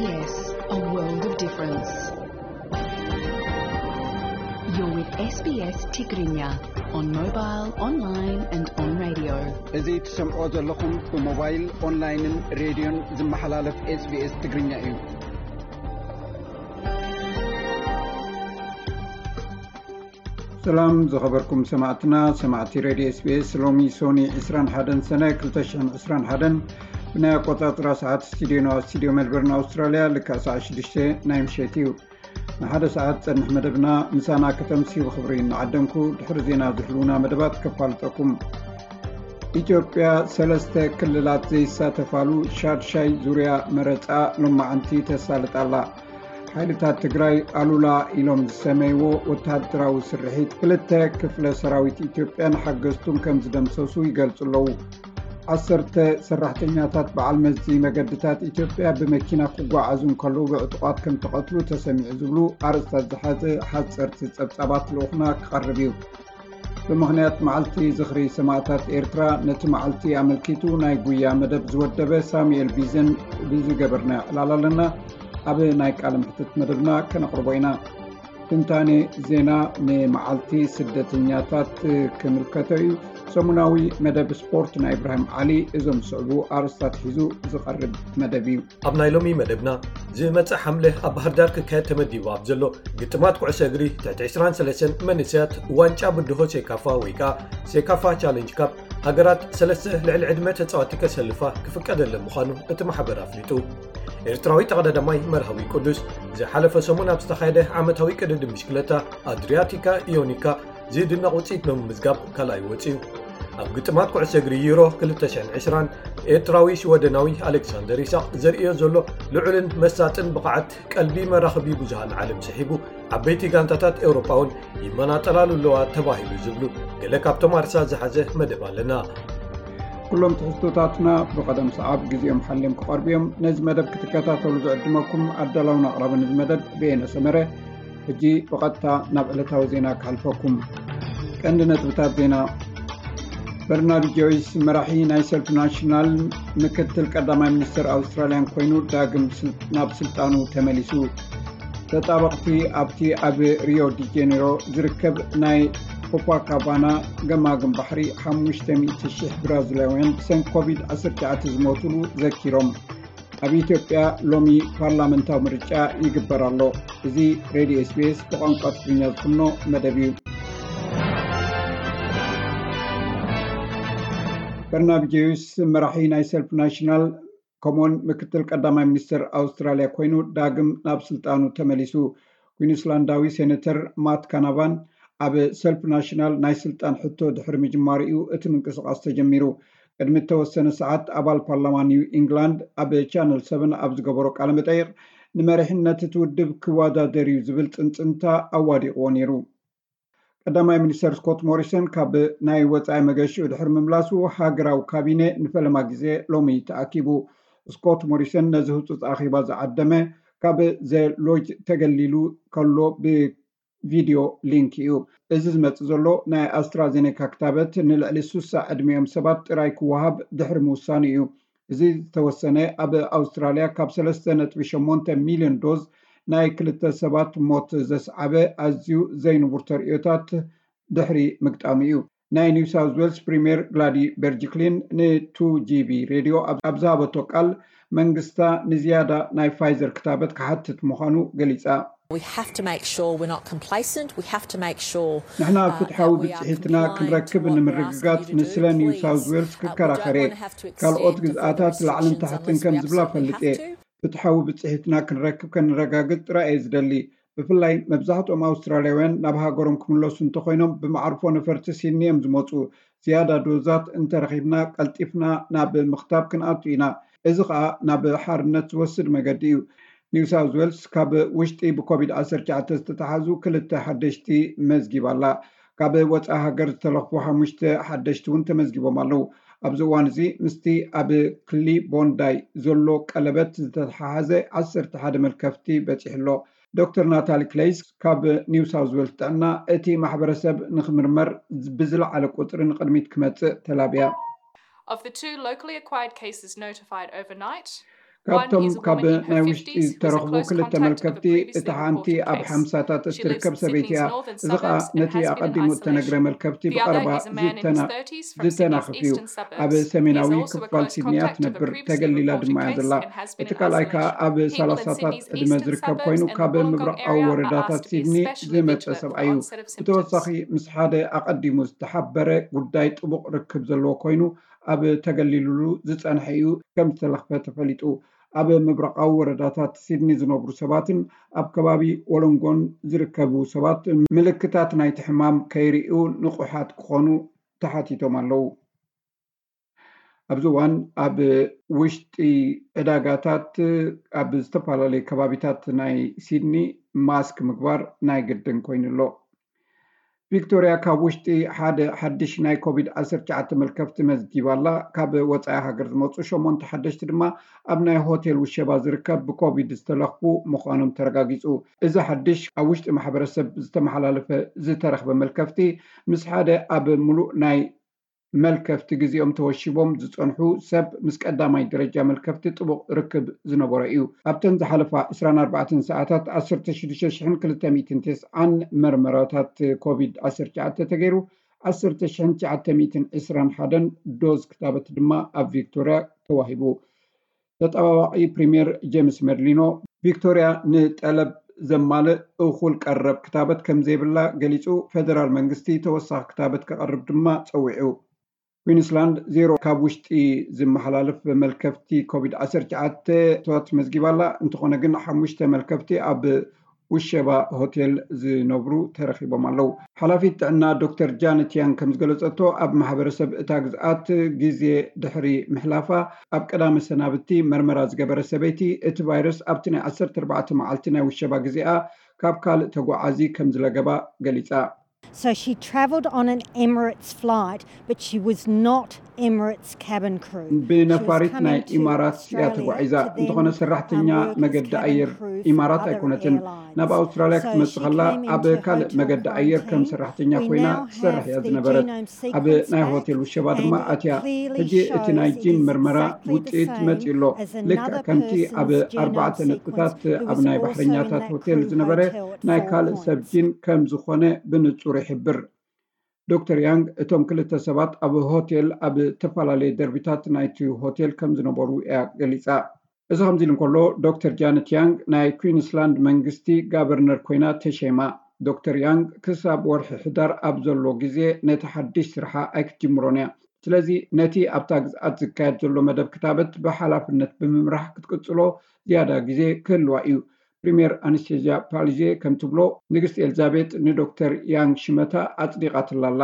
Yes, a world of difference. You're with S B S Tigrinya on mobile, online and on radio. እዚ ትሰምዖ ዘለኹም ብሞባይል፣ ኦንላይንን ሬድዮን ዝመሓላለፍ SBS ትግርኛ እዩ። ሰላም ዝኸበርኩም ሰማዕትና፣ ሰማዕቲ ሬድዮ SBS። ሎሚ ሶኒ ዕስራን ሓደን ሰነ ክልተ ሽሕን ዕስራን ሓደን ብናይ ኣቆጻጽራ ሰዓት ስቱዲዮና፣ ስቱዲዮ ሜልበርን ኣውስትራልያ፣ ልክዕ ሰዓት ሽዱሽተ ናይ ምሸት እዩ። ንሓደ ሰዓት ጸንሕ መደብና ምሳና ከተምስዩ ብኽብሪ እናዓደምኩ፣ ድሕሪ ዜና ዝህልዉና መደባት ከፋልጠኩም። ኢትዮጵያ ሰለስተ ክልላት ዘይሳተፋሉ ሻድሻይ ዙርያ መረጻ ሎማዓንቲ ተሳልጥ ኣላ። ሓይልታት ትግራይ ኣሉላ ኢሎም ዝሰመይዎ ወተሃደራዊ ስርሒት ክልተ ክፍለ ሰራዊት ኢትዮጵያን ሓገዝቱን ከም ዝደምሰሱ ይገልጹ ኣለዉ። ዓሰርተ ሰራሕተኛታት በዓል መዚ መገድታት ኢትዮጵያ ብመኪና ክጓዓዙ እንከለዉ ብዕጡቓት ከም ተቐትሉ ተሰሚዑ ዝብሉ ኣርእስታት ዝሓዘ ሓጸርቲ ጸብጻባት ልኡኽና ክቐርብ እዩ። ብምኽንያት መዓልቲ ዝኽሪ ሰማእታት ኤርትራ፣ ነቲ መዓልቲ ኣመልኪቱ ናይ ጉያ መደብ ዝወደበ ሳሙኤል ቢዘን ብዝገበርናዮ ዕላል ኣለና። ኣብ ናይ ቃለ መሕትት መደብና ከነቕርቦ ኢና። ትንታኔ ዜና ንመዓልቲ ስደተኛታት ክምልከቶ እዩ። ሰሙናዊ መደብ ስፖርት ናይ ኢብራሂም ዓሊ እዞም ዝስዕቡ ኣርእስታት ሒዙ ዝቐርብ መደብ እዩ። ኣብ ናይ ሎሚ መደብና፣ ዝመጽእ ሓምለ ኣብ ባህር ዳር ክካየድ ተመዲቡ ኣብ ዘሎ ግጥማት ኩዕሶ እግሪ ትሕቲ ዕስራን ሰለስተን መንእሰያት ዋንጫ ብድሆ ሴካፋ ወይ ከኣ ሴካፋ ቻለንጅ ካፕ፣ ሃገራት ሰለስተ ልዕሊ ዕድመ ተጻወትቲ ከሰልፋ ክፍቀደለን ምዃኑ እቲ ማሕበር ኣፍሊጡ። ኤርትራዊ ተቐዳዳማይ መርሃዊ ቅዱስ ዝሓለፈ ሰሙን ኣብ ዝተኻየደ ዓመታዊ ቅድድም ብሽክለታ ኣድሪያቲካ ኢዮኒካ ዝድነቕ ውጽኢት ብምምዝጋብ ካልኣይ ወጺኡ። ኣብ ግጥማት ኩዕሶ እግሪ ዩሮ ክልተ ሽሕን ዕስራን፣ ኤርትራዊ ሽወደናዊ ኣሌክሳንደር ይስሐቅ ዘርእዮ ዘሎ ልዑልን መሳጥን ብቕዓት ቀልቢ መራኸቢ ብዙሃን ዓለም ስሒቡ፣ ዓበይቲ ጋንታታት ኤውሮጳ እውን ይመናጠላሉ ኣለዋ ተባሂሉ ዝብሉ ገለ ካብቶም ኣርሳ ዝሓዘ መደብ ኣለና። ኩሎም ትሕዝቶታትና ብቐደም ሰዓብ ግዜኦም ሓልዮም ክቐርቡ እዮም። ነዚ መደብ ክትከታተሉ ዝዕድመኩም ኣዳላውን ኣቕራብን እዚ መደብ ብየነ ሰመረ። ሕጂ ብቐጥታ ናብ ዕለታዊ ዜና ክሓልፈኩም። ቀንዲ ነጥብታት ዜና። በርናቢ ጆይስ መራሒ ናይ ሰልፊ ናሽናል ምክትል ቀዳማይ ሚኒስትር ኣውስትራልያን ኮይኑ ዳግም ስል-፣ ናብ ስልጣኑ ተመሊሱ። ተጣበቕቲ ኣብቲ ኣብ ሪዮ ዲ ጄኔሮ ዝርከብ ናይ ኮፓካባና ገማግም ባሕሪ ሓሙሽተ ሚእቲ ሽሕ ብራዚላውያን ብሰንኪ ኮቪድ ዓሰርተ ትሽዓተ ዝሞቱሉ ዘኪሮም። ኣብ ኢትዮጵያ ሎሚ ፓርላመንታዊ ምርጫ ይግበር ኣሎ። እዚ ሬድዮ SBS ብቋንቋ ትግርኛ ዝፍኖ መደብ እዩ። በርናቢ ጆይስ መራሒ ናይ ሰልፊ ናሽናል ከምኡውን ምክትል ቀዳማይ ሚኒስትር ኣውስትራልያ ኮይኑ ዳግም ናብ ስልጣኑ ተመሊሱ። ኩዊንስላንዳዊ ሴኔተር ማት ካናቫን ኣብ ሰልፊ ናሽናል ናይ ስልጣን ሕቶ ድሕሪ ምጅማሩ እዩ እቲ ምንቅስቓስ ተጀሚሩ። ቅድሚ እተወሰነ ሰዓት ኣባል ፓርላማ ኒው ኢንግላንድ ኣብ ቻነል ሰቨን ኣብ ዝገበሮ ቃለ መጠይቕ፣ ንመሪሕነት እቲ ውድብ ክወዳደር እዩ ዝብል ጽንጽንታ ኣዋዲቕዎ ነይሩ። ቀዳማይ ሚኒስተር ስኮት ሞሪሰን ካብ ናይ ወጻኢ መገሽኡ ድሕሪ ምምላሱ፣ ሃገራዊ ካቢነ ንፈለማ ግዜ ሎሚ ተኣኪቡ። ስኮት ሞሪሰን ነዚ ህጹጽ ኣኼባ ዝዓደመ ካብ ዘ ሎጅ ተገሊሉ ከሎ ብቪድዮ ሊንክ እዩ። እዚ ዝመጽእ ዘሎ ናይ ኣስትራዜኔካ ክታበት ንልዕሊ ሱሳ ዕድሚኦም ሰባት ጥራይ ክወሃብ ድሕሪ ምውሳኑ እዩ። እዚ ዝተወሰነ ኣብ ኣውስትራልያ ካብ ሰለስተ ነጥቢ ሸሞንተ ሚልዮን ዶዝ ናይ ክልተ ሰባት ሞት ዘስዓበ ኣዝዩ ዘይንቡር ተርእዮታት ድሕሪ ምግጣሙ እዩ። ናይ ኒው ሳውዝ ዌልስ ፕሪምየር ግላዲ በርጅክሊን ን ቱ ጂ ቢ ሬድዮ ኣብ፣ ኣብ ዝሃበቶ ቃል፣ መንግስታ ንዝያዳ ናይ ፋይዘር ክታበት ክሓትት ምዃኑ ገሊጻ። We have to make sure we're not complacent. We have to make sure, ንሕና uh, ፍትሓዊ that we are ብጽሒትና compliant ክንረክብ to what we're ንምርግጋጽ asking you to do, ንስለ ኒው please. ሳውዝ ዌልስ Uh, we don't ክከራኸር እየ። Wanna have to ካልኦት extend the further ግዝኣታት ላዕልን restrictions ታሕትን unless ከም we ዝብላ absolutely ፈልጥ እየ። Have to. ፍትሓዊ ብጽሒትና ክንረክብ ከነረጋግጽ ጥራይ እየ ዝደሊ። ብፍላይ መብዛሕትኦም ኣውስትራልያውያን ናብ ሃገሮም ክምለሱ እንተኾይኖም ብመዓርፎ ነፈርቲ ሲድኒ እዮም ዝመጹ። ዝያዳ ዶዛት እንተረኺብና ቀልጢፍና ናብ ምኽታብ ክንኣቱ ኢና። እዚ ኸኣ ናብ ሓርነት ዝወስድ መገዲ እዩ። ኒው ሳውዝ ዌልስ ካብ ውሽጢ ብኮቪድ ዓሰርተ ትሽዓተ ዝተተሓዙ ክልተ ሓደሽቲ መዝጊባ ኣላ። ካብ ወጻኢ ሃገር ዝተለኽፉ ሓሙሽተ ሓደሽቲ እውን ተመዝጊቦም ኣለዉ። ኣብዚ እዋን እዚ ምስቲ ኣብ ክሊ ቦንዳይ ዘሎ ቀለበት ዝተተሓሓዘ ዓሰርተ ሓደ መልከፍቲ በጺሑ ኣሎ። ዶክተር ናታሊ ክሌይስ ካብ ኒው ሳውዝ ዌልስ ጥዕና፣ እቲ ማሕበረሰብ ንኽምርመር ብዝለዓለ ቁጽሪ ንቕድሚት ክመጽእ ተላብያ። Of the two locally acquired cases notified overnight, ካብቶም ካብ ናይ ውሽጢ ዝተረኽቡ ክልተ መልከፍቲ፣ እታ ሓንቲ ኣብ ሓምሳታት እትርከብ ሰበይቲ እያ። እዚ ኸኣ ነቲ ኣቐዲሙ እተነግረ መልከፍቲ ብቐረባ ዝተናኽፍ እዩ። ኣብ ሰሜናዊ ክፋል ሲድኒ እያ ትነብር፣ ተገሊላ ድማ እያ ዘላ። እቲ ካልኣይ ከኣ ኣብ ሰላሳታት ዕድመ ዝርከብ ኮይኑ፣ ካብ ምብራቓዊ ወረዳታት ሲድኒ ዝመጸ ሰብኣይ እዩ። ብተወሳኺ ምስ ሓደ ኣቐዲሙ ዝተሓበረ ጉዳይ ጥቡቕ ርክብ ዘለዎ ኮይኑ፣ ኣብ ተገሊሉሉ ዝጸንሐ እዩ ከም ዝተለኽፈ ተፈሊጡ። ኣብ ምብራቓዊ ወረዳታት ሲድኒ ዝነብሩ ሰባትን ኣብ ከባቢ ወሎንጎን ዝርከቡ ሰባት ምልክታት ናይቲ ሕማም ከይርእዩ ንቑሓት ክኾኑ ተሓቲቶም ኣለዉ። ኣብዚ እዋን ኣብ ውሽጢ ዕዳጋታት ኣብ ዝተፈላለዩ ከባቢታት ናይ ሲድኒ ማስክ ምግባር ናይ ግድን ኮይኑ ኣሎ። ቪክቶርያ ካብ ውሽጢ ሓደ ሓድሽ ናይ ኮቪድ ዓሰርተ ትሽዓተ መልከፍቲ መዝጊባ ኣላ። ካብ ወጻኢ ሃገር ዝመጹ ሸሞንተ ሓደሽቲ ድማ ኣብ ናይ ሆቴል ውሸባ ዝርከብ ብኮቪድ ዝተለኽፉ ምዃኖም ተረጋጊጹ። እዚ ሓድሽ ኣብ ውሽጢ ማሕበረሰብ ዝተመሓላለፈ ዝተረኽበ መልከፍቲ ምስ ሓደ ኣብ ምሉእ ናይ መልከፍቲ ግዜኦም ተወሺቦም ዝጸንሑ ሰብ ምስ ቀዳማይ ደረጃ መልከፍቲ ጥቡቕ ርክብ ዝነበሮ እዩ። ኣብተን ዝሓለፋ ዕስራን ኣርባዕተን ሰዓታት ዓሰርተ ሽዱሽተ ሽሕን ክልተ ሚእትን ተስዓን መርመራታት ኮቪድ ዓሰርተ ትሽዓተ ተገይሩ፣ ዓሰርተ ሽሕን ትሽዓተ ሚእትን ዕስራን ሓደን ዶዝ ክታበት ድማ ኣብ ቪክቶርያ ተዋሂቡ። ተጠባባቒ ፕሪምየር ጄምስ መርሊኖ፣ ቪክቶርያ ንጠለብ ዘማልእ እኹል ቀረብ ክታበት ከም ዘይብላ ገሊጹ፣ ፌደራል መንግስቲ ተወሳኺ ክታበት ከቕርብ ድማ ጸዊዑ። ኩዊንስላንድ ዜሮ ካብ ውሽጢ ዝመሓላለፍ መልከፍቲ ኮቪድ ዓሰርተ ትሽዓተ እቶት መዝጊባ ኣላ። እንተኾነ ግን ሓሙሽተ መልከፍቲ ኣብ ውሸባ ሆቴል ዝነብሩ ተረኺቦም ኣለዉ። ሓላፊት ጥዕና ዶክተር ጃነት ያንግ ከም ዝገለጸቶ፣ ኣብ ማሕበረሰብ እታ ግዝኣት ግዜ ድሕሪ ምሕላፋ፣ ኣብ ቀዳመ ሰናብቲ መርመራ ዝገበረ ሰበይቲ፣ እቲ ቫይረስ ኣብቲ ናይ ዓሰርተ ኣርባዕተ መዓልቲ ናይ ውሸባ ግዜኣ ካብ ካልእ ተጓዓዚ ከም ዝለገባ ገሊጻ። So she travelled on an Emirates flight, but she was not Emirates cabin crew. She was ብነፋሪት ናይ coming to ኢማራት እያ Australia ተጓዒዛ። to then እንተኾነ ሰራሕተኛ um, work as መገዲ cabin ኣየር crew for ኢማራት other ኣይኮነትን። airlines. ናብ ኣውስትራልያ So ክትመጽእ she ከላ came ኣብ into ካልእ hotel መገዲ ኣየር ከም quarantine. ሰራሕተኛ We ኮይና now ትሰርሕ have እያ the ዝነበረት። genome ኣብ sequence ናይ back, ሆቴል ውሸባ and ድማ it ኣትያ። clearly ሕጂ እቲ shows ናይ ጂን it is መርመራ exactly the ውጽኢት same መጺኡ ኣሎ። as ልክዕ another ከምቲ ኣብ person's genome ኣርባዕተ sequence ነጥብታት who ኣብ was ናይ also ባሕረኛታት in that ሆቴል crew ዝነበረ hotel at ናይ Four ካልእ ሰብ Points. ጂን ከም ዝኾነ ብንጹር ይሕብር። ዶክተር ያንግ እቶም ክልተ ሰባት ኣብ ሆቴል ኣብ እተፈላለየ ደርቢታት ናይቲ ሆቴል ከም ዝነበሩ እያ ገሊጻ። እዚ ከምዚ ኢሉ እንከሎ፣ ዶክተር ጃነት ያንግ ናይ ኩዊንስላንድ መንግስቲ ጋቨርነር ኮይና ተሸይማ። ዶክተር ያንግ ክሳብ ወርሒ ሕዳር ኣብ ዘሎ ግዜ ነቲ ሓድሽ ስርሓ ኣይክትጅምሮን እያ። ስለዚ ነቲ ኣብታ ግዝኣት ዝካየድ ዘሎ መደብ ክታበት ብሓላፍነት ብምምራሕ ክትቅጽሎ ዝያዳ ግዜ ክህልዋ እዩ። ፕሪምየር ኣነስቴዝያ ፓሊዜ ከም ትብሎ፣ ንግስቲ ኤልዛቤጥ ንዶክተር ያንግ ሽመታ ኣጽዲቓትላ ኣላ።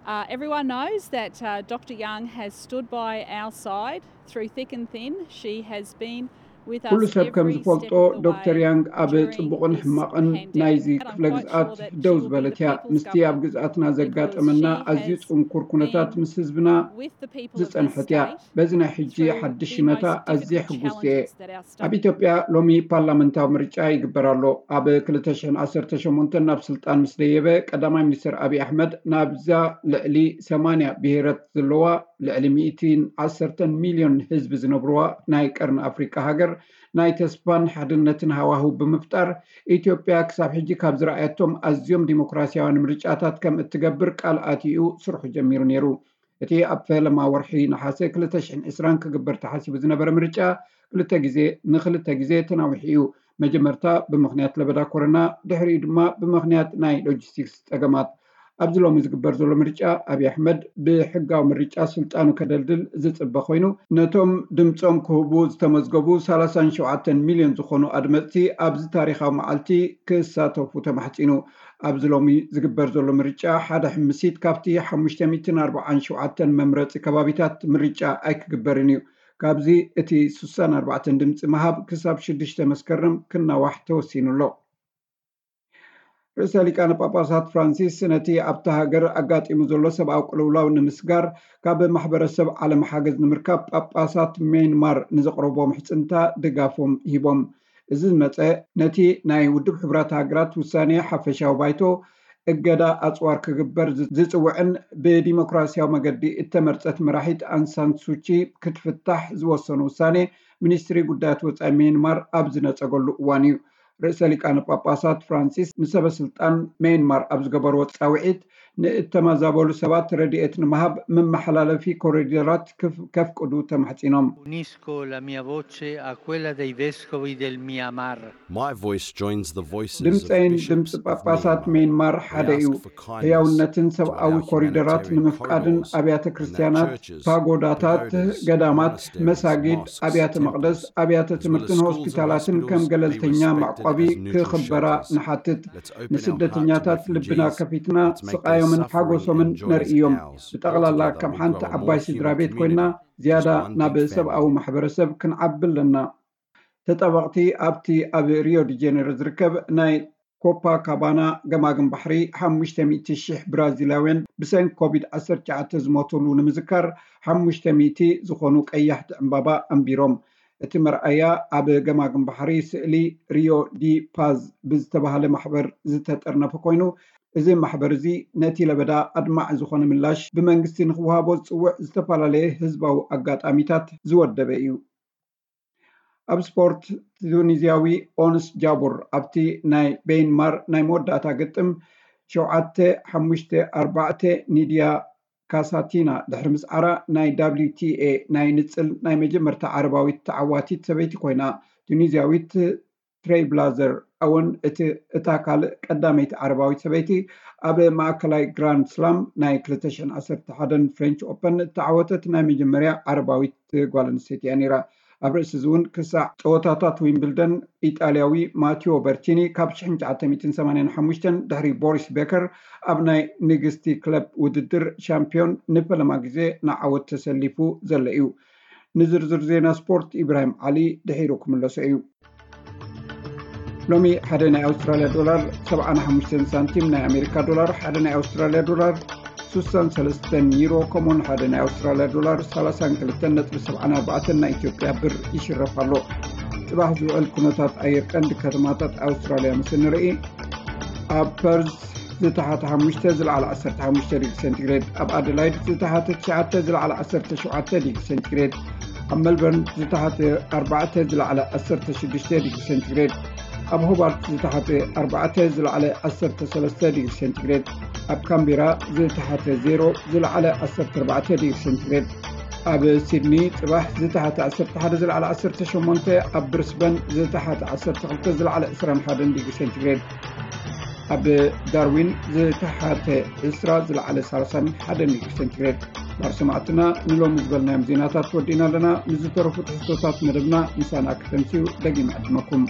Uh, everyone knows that uh, Doctor Young has stood by our side through thick and thin. She has been with us ኩሉ ሰብ ከም every ዝፈልጦ step of the ዶክተር way ያንግ ኣብ during ጽቡቕን this ሕማቕን ናይዚ pandemic, and I'm ክፍለ quite ግዝኣት sure that she ደው will be the ዝበለት እያ። people's ምስቲ ኣብ government ግዝኣትና because ዘጋጠመና she ኣዝዩ has ጽንኩር ኩነታት been ምስ ህዝብና with the people of this ዝጸንሐት እያ። state በዚ ናይ ሕጂ through ሓድሽ the ሽመታ most ኣዝየ difficult challenges that our state ኣብ ኢትዮጵያ ሎሚ ፓርላመንታዊ ምርጫ ይግበር ኣሎ። ኣብ ክልተ ሽሕን ዓሰርተ ሸሞንተን ናብ ስልጣን ምስ ደየበ ቀዳማይ ሚኒስትር ኣብይ ኣሕመድ ናብዛ ልዕሊ ሰማንያ ብሄራት ዘለዋ ልዕሊ ሚእትን ዓሰርተን ሚልዮን ህዝቢ ዝነብርዋ ናይ ቀርኒ ኣፍሪቃ ሃገር ናይ ተስፋን ሓድነትን ሃዋህው ብምፍጣር ኢትዮጵያ ክሳብ ሕጂ ካብ ዝረኣየቶም ኣዝዮም ዲሞክራሲያውያን ምርጫታት ከም እትገብር ቃል ኣትዩ ስርሑ ጀሚሩ ነይሩ። እቲ ኣብ ፈለማ ወርሒ ነሓሰ ክልተ ሽሕን ዕስራን ክግበር ተሓሲቡ ዝነበረ ምርጫ ክልተ ግዜ ንክልተ ግዜ ተናዊሑ እዩ። መጀመርታ ብምኽንያት ለበዳ ኮሮና፣ ድሕሪኡ ድማ ብምኽንያት ናይ ሎጂስቲክስ ጸገማት። ኣብዚ ሎሚ ዝግበር ዘሎ ምርጫ ኣብይ ኣሕመድ ብሕጋዊ ምርጫ ስልጣኑ ከደልድል ዝጽበ ኮይኑ፣ ነቶም ድምጾም ክህቡ ዝተመዝገቡ ሰላሳን ሸውዓተን ሚልዮን ዝኾኑ ኣድመጽቲ ኣብዚ ታሪኻዊ መዓልቲ ክሳተፉ ተማሕጺኑ። ኣብዚ ሎሚ ዝግበር ዘሎ ምርጫ ሓደ ሕምሲት ካብቲ ሓሙሽተ ሚእትን ኣርባዓን ሸውዓተን መምረጺ ከባቢታት ምርጫ ኣይክግበርን እዩ። ካብዚ እቲ ስሳን ኣርባዕተን ድምጺ ምሃብ ክሳብ ሽዱሽተ መስከረም ክናዋሕ ተወሲኑ ኣሎ። ርእሰ ሊቃነ ጳጳሳት ፍራንሲስ ነቲ ኣብታ ሃገር ኣጋጢሙ ዘሎ ሰብኣዊ ቅልውላው ንምስጋር ካብ ማሕበረሰብ ዓለም ሓገዝ ንምርካብ ጳጳሳት ሜንማር ንዘቕረቦ ምሕጽንታ ድጋፎም ሂቦም። እዚ ዝመጸ ነቲ ናይ ውድብ ሕቡራት ሃገራት ውሳኔ ሓፈሻዊ ባይቶ እገዳ ኣጽዋር ክግበር ዝጽውዕን ብዲሞክራሲያዊ መገዲ እተመርጸት መራሒት ኣንሳን ሱቺ ክትፍታሕ ዝወሰኑ ውሳኔ ሚኒስትሪ ጉዳያት ወፃኢ ሜንማር ኣብ ዝነፀገሉ እዋን እዩ። ርእሰ ሊቃነ ጳጳሳት ፍራንሲስ ንሰበ ስልጣን ሜንማር ኣብ ዝገበርዎ ፃውዒት፣ ንእተመዛበሉ ሰባት ረድኤት ንምሃብ መመሓላለፊ ኮሪደራት ክፍ- ከፍቅዱ ተማሕጺኖም። Unisco la mia voce a quella dei vescovi del Myanmar. My voice joins the voices of ድምፀይን bishops ድምፂ of ጳጳሳት Myanmar. ሜንማር ሓደ እዩ። ህያውነትን ሰብኣዊ ኮሪደራት ንምፍቃድን ኣብያተ ክርስቲያናት፣ ፓጎዳታት፣ ገዳማት፣ መሳጊድ፣ ኣብያተ መቕደስ፣ ኣብያተ ትምህርትን ሆስፒታላትን ከም ገለልተኛ መዕቆቢ ክኽበራ ንሓትት። ንስደተኛታት ልብና ከፊትና ስቓዮምን ሓጎሶምን ነርእዮም። ብጠቕላላ ከም ሓንቲ ዓባይ ስድራ ቤት ኮይና ዝያዳ ናብ ሰብኣዊ ማሕበረሰብ ክንዓቢ ኣለና። ተጣበቕቲ ኣብቲ ኣብ ሪዮ ዲ ጀኔሮ ዝርከብ ናይ ኮፓ ካባና ገማግም ባሕሪ ሓሙሽተ ሚእቲ ሺሕ ብራዚላውያን ብሰንኪ ኮቪድ ዓሰርተ ትሽዓተ ዝሞትሉ ንምዝካር ሓሙሽተ ሚእቲ ዝኾኑ ቀያሕቲ ዕምባባ ኣንቢሮም። እቲ መርኣያ ኣብ ገማግም ባሕሪ ስእሊ ሪዮ ዲ ፓዝ ብዝተባህለ ማሕበር ዝተጠርነፈ ኮይኑ፣ እዚ ማሕበር እዚ ነቲ ለበዳ ኣድማዒ ዝኾነ ምላሽ ብመንግስቲ ንክወሃቦ ዝፅውዕ ዝተፈላለየ ህዝባዊ ኣጋጣሚታት ዝወደበ እዩ። ኣብ ስፖርት፣ ቱኒዝያዊ ኦንስ ጃቡር ኣብቲ ናይ ቤይንማር ናይ መወዳእታ ግጥም ሸውዓተ ሓሙሽተ ኣርባዕተ ኒድያ ካሳቲና ድሕሪ ምስዓራ ናይ W T A ናይ ንፅል ናይ መጀመርታ ዓረባዊት ተዓዋቲት ሰበይቲ ኮይና። ቱኒዝያዊት ትሬይብላዘር እውን እቲ እታ ካልእ ቀዳመይቲ ዓረባዊት ሰበይቲ ኣብ ማእከላይ ግራንድ ስላም ናይ ክልተ ሽሕን ዓሰርተ ሓደን ፍሬንች ኦፐን እተዓወተት ናይ መጀመርያ ዓረባዊት ጓል ኣንስተይቲ እያ ነይራ። ኣብ ርእሲ እዚ እውን ክሳዕ ፀወታታት ዊምብልደን ኢጣልያዊ ማቲዮ በርቲኒ ካብ ሽሕን ትሽዓተ ሚእትን ሰማንያን ሓሙሽተን ድሕሪ ቦሪስ ቤከር ኣብ ናይ ንግስቲ ክለብ ውድድር ሻምፒዮን ንፈለማ ግዜ ንዓወት ተሰሊፉ ዘሎ እዩ። ንዝርዝር ዜና ስፖርት ኢብራሂም ዓሊ ድሒሩ ክምለሶ እዩ። ሎሚ ሓደ ናይ ኣውስትራልያ ዶላር ሰብዓን ሓሙሽተን ሳንቲም፣ ናይ ኣሜሪካ ዶላር ሓደ ናይ ኣውስትራልያ ዶላር ስሳን ሰለስተን ዩሮ፣ ከምኡውን ሓደ ናይ ኣውስትራልያ ዶላር ሰላሳን ክልተን ነጥቢ ሰብዓን ኣርባዕተን ናይ ኢትዮጵያ ብር ይሽረፍ ኣሎ። ጽባሕ ዝውዕል ኩነታት ኣየር ቀንዲ ከተማታት ኣውስትራልያ ምስ እንርኢ፣ ኣብ ፐርዝ ዝተሓተ ሓሙሽተ ዝለዓለ ዓሰርተ ሓሙሽተ ዲግሪ ሴንቲግሬድ፣ ኣብ ኣደላይድ ዝተሓተ ትሽዓተ ዝለዓለ ዓሰርተ ሸውዓተ ዲግሪ ሴንቲግሬድ፣ ኣብ መልበርን ዝተሓተ ኣርባዕተ ዝለዓለ ዓሰርተ ሽዱሽተ ዲግሪ ሴንቲግሬድ፣ ኣብ ሆባርት ዝተሓተ ኣርባዕተ ዝለዓለ ዓሰርተ ሰለስተ ዲግሪ ሴንቲግሬድ፣ ኣብ ካምቤራ ዝተሓተ ዜሮ ዝለዓለ ዓሰርተ ኣርባዕተ ዲግሪ ሴንቲግሬድ፣ ኣብ ሲድኒ ጽባሕ ዝተሓተ ዓሰርተ ሓደ ዝለዓለ ዓሰርተ ሸሞንተ፣ ኣብ ብሪስበን ዝተሓተ ዓሰርተ ክልተ ዝለዓለ ዕስራን ሓደን ዲግሪ ሴንቲግሬድ፣ ኣብ ዳርዊን ዝተሓተ ዕስራ ዝለዓለ ሰላሳን ሓደን ዲግሪ ሴንቲግሬድ። ባር ሰማዕትና ንሎሚ ዝበልናዮም ዜናታት ወዲእና ኣለና። ምስ ዝተረፉ ትሕዝቶታት መደብና ምሳና ክተምስዩ ደጊመ ዕድመኩም።